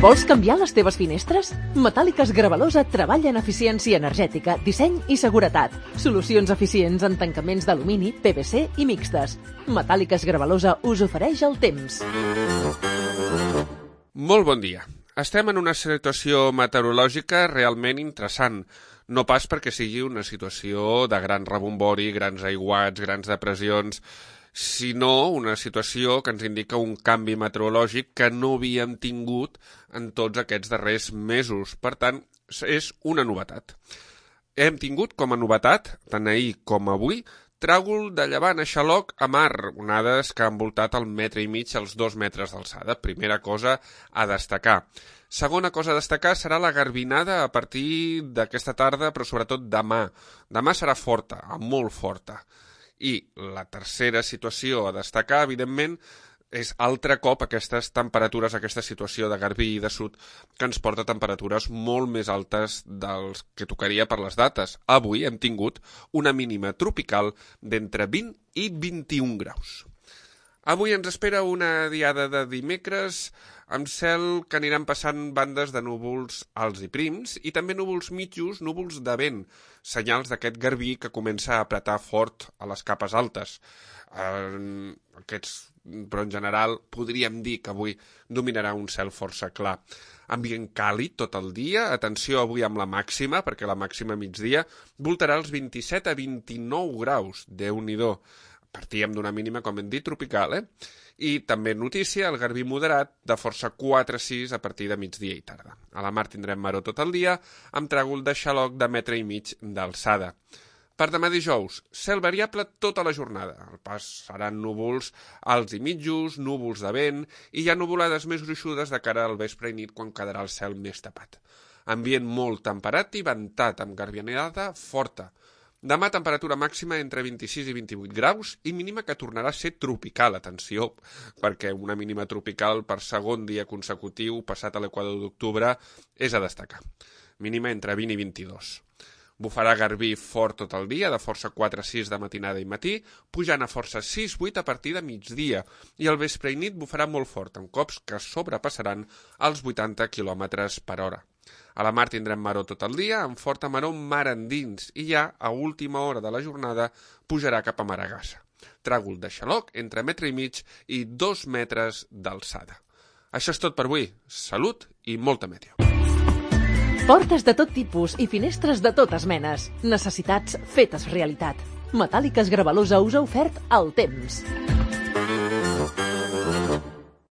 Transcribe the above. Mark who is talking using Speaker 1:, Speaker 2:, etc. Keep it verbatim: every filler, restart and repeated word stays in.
Speaker 1: Vols canviar les teves finestres? Metàl·liques Gravalosa treballa en eficiència energètica, disseny i seguretat. Solucions eficients en tancaments d'alumini, P V C i mixtes. Metàl·liques Gravalosa us ofereix el temps.
Speaker 2: Molt bon dia. Estem en una situació meteorològica realment interessant. No pas perquè sigui una situació de gran rebombori, grans aiguats, grans depressions, sinó una situació que ens indica un canvi meteorològic que no havíem tingut en tots aquests darrers mesos. Per tant, és una novetat. Hem tingut com a novetat, tant ahir com avui, tràgol de llevant a xaloc a mar, onades que han voltat el metre i mig als dos metres d'alçada. Primera cosa a destacar. Segona cosa a destacar serà la garbinada a partir d'aquesta tarda, però sobretot demà. Demà serà forta, molt forta. I la tercera situació a destacar, evidentment, és altre cop aquestes temperatures, aquesta situació de garbí i de sud, que ens porta a temperatures molt més altes dels que tocaria per les dates. Avui hem tingut una mínima tropical d'entre vint i vint-i-un graus. Avui ens espera una diada de dimecres amb cel que aniran passant bandes de núvols alts i prims i també núvols mitjos, núvols de vent, senyals d'aquest garbí que comença a apretar fort a les capes altes. Eh, aquests, però en general podríem dir que avui dominarà un cel força clar. Ambient càlid tot el dia, atenció avui amb la màxima, perquè la màxima migdia voltarà els vint-i-set a vint-i-nou graus, Déu-n'hi-do. Partíem d'una mínima, com hem dit, tropical, eh? I també notícia, el garbí moderat de força quatre a sis a partir de migdia i tarda. A la mar tindrem maror tot el dia, amb tràgol de xaloc de metre i mig d'alçada. Per demà dijous, cel variable tota la jornada. El pas seran núvols alts i mitjos, núvols de vent, i hi ha nuvolades més gruixudes de cara al vespre i nit quan quedarà el cel més tapat. Ambient molt temperat i ventat, amb garbinada forta. Demà temperatura màxima entre vint-i-sis i vint-i-vuit graus i mínima que tornarà a ser tropical, atenció, perquè una mínima tropical per segon dia consecutiu passat a l'equador d'octubre és a destacar. Mínima entre vint i vint-i-dos. Bufarà garbí fort tot el dia, de força quatre a sis de matinada i matí, pujant a força sis a vuit a partir de migdia, i al vespre i nit bufarà molt fort, amb cops que sobrepassaran els vuitanta quilòmetres per hora. A la mar tindrem maror tot el dia, amb forta maror mar endins, i ja, a última hora de la jornada, pujarà cap a Maragassa. Tràgol de xaloc entre metre i mig i dos metres d'alçada. Això és tot per avui. Salut i molta meteo.
Speaker 1: Portes de tot tipus i finestres de totes menes. Necessitats fetes realitat. Metàl·liques Gravalosa us ha ofert el temps.